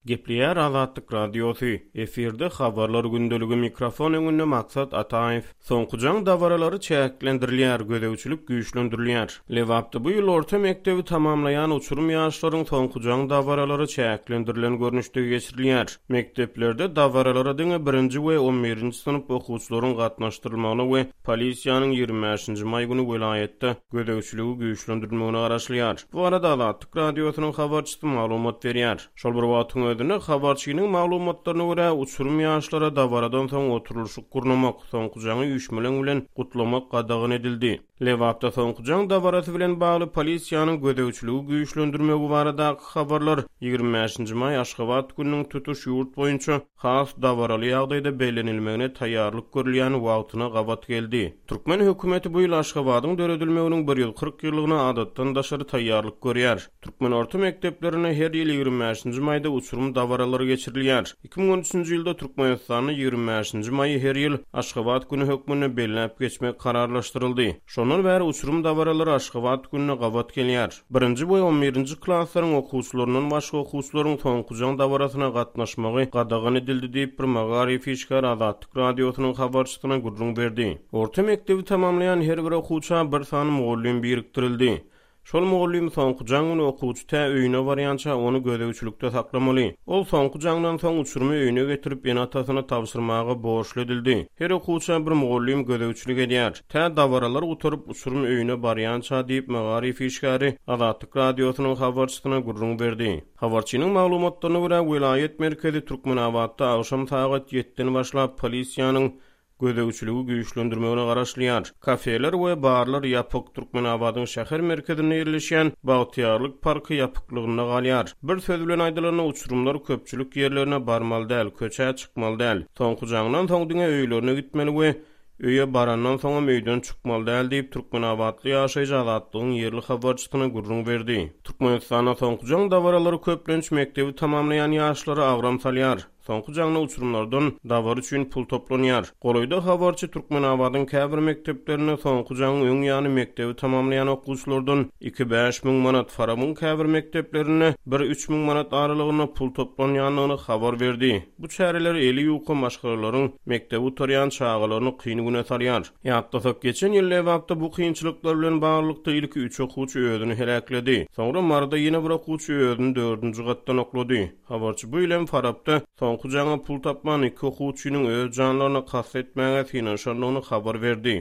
Gepleýär Azatlyk Radiosy, efirde Habarlar gündeligi, mikrofon öňünde Maksat Ataýew. Soňky jaň dabaralary çäklendirilýär, gözegçilik güýçlendirilýär. Lebapda bu ýyl orta mekdebi tamamlaýan uçurym ýaşlaryň soňky jaň dabaralary çäklendirilen görnüşde geçirilýär. Mekdeplerde dabaralara diňe birinji we on birinji synp okuwçylaryň gatnaşdyrylmagyna we polisiýanyň 25-nji maý güni welaýatda gözegçiligi güýçlendirilmegine garaşylýar. Bu barada Azatlyk Radiosynyň habarçysy maglumat berýär. Şol bir wagtyň özünde, habarçynyň maglumatlaryna görä, uçurym ýaşlara dabaradan soň oturylyşyk gurnamak, soňky jaňy üýşmeleň bilen gutlamak gadagan edildi. Lebapda soňky jaň dabarasy bilen bagly polisiýanyň gözegçiligi güýçlendirmegi baradaky habarlar 25-nji maý Aşgabat gününiň tutuş ýurt boýunça has dabaraly ýagdaýda bellenilmegine taýýarlyk görülýän wagtyna gabat geldi. Türkmen hökümeti bu ýyl Aşgabadyň döredilmeginiň 140 ýyllygyna adatdan daşary taýýarlyk görýär. Türkmen orta mekdeplerinde her ýyl 25-nji maýda uçurym dabaralary geçirilýär. 2013-nji ýylda Türkmenistanda 25-nji maýy her ýyl Aşgabat güni hökmünde belläp geçmek kararlaşdyryldy. Şondan bäri uçurym dabaralary Aşgabat gününe gabat gelýär. Birinji we on birinji klaslaryň okuwçylaryndan başga okuwçylaryň soňky jaň dabarasyna gatnaşmagy gadagan edildi diýip, bir magaryf işgäri Azatlyk Radiosynyň habarçysyna gürrüň berdi. Orta mekdebi tamamlaýan her bir okuwça bir sany mugallym birikdirildi. Şol mugallym soňky jaň güni okuwçy tä öýüne barýança ony gözegçilikde saklamaly. Ol soňky jaňdan soň uçurymy öýüne getirip ene-atasyna tabşyrmaga borçly edildi. Her okuwça bir mugallym gözegçilik edýär. Tä dabaralar gutaryp uçurym öýüne barýança diýip magaryf işgäri Azatlyk Radiosynyň habarçysyna gürrüň berdi. Habarçynyň maglumatlaryna görä, welaýat merkezi Türkmenabatda agşam sagat ýetden başlap polisiýanyň gözegçiligi güýçlendirmegine garaşylýar. Kafeler we barlar ýapyk, Türkmenabadyň şäher merkezinde ýerleşýän Bagtyýarlyk parky ýapyklygynda galýar. Bir söz bilen aýdylanda, uçurymlar köpçülik ýerlerine barmaly däl, köçä çykmaly däl. Soňky jaňdan soň diňe öýlerine gitmeli we öýe barandan soňam öýden çykmaly däl diýip, türkmenabatly ýaşaýjy Azatlygyň ýerli habarçysyna gürrüň berdi. Türkmenistanda soňky jaň dabaralary köplenç mekdebi tamamlaýan ýaşlara agram salýar. Soňky jaňda uçurymlardan dabara üçin pul toplanýar. Golaýda habarçy Türkmenabadyň käbir mekdeplerinde soňky jaňyň öň ýany mekdebi tamamlaýan okuwçylardan iki-bäş müň manat, Farabyň käbir mekdeplerinde bir-üç müň manat aralygynda pul toplanýandygyny habar berdi. Bu çäreler eli ýuka maşgalalaryň mekdebi gutarýan çagalaryny kyn güne salýar. Ýatlasak, geçen ýyl Lebapda bu kynçylyklar bilen baglylykda ilki üç okuwçy özüni heläkledi. Soňra Maryda ýene bir okuwçy özüni dördünji gatdan oklady. Habarçy bu ýyl hem Farapda soňky jaňa pul tapman iki okuwçynyň öz janlaryna kast etmäge synanyşandygyny habar berdi.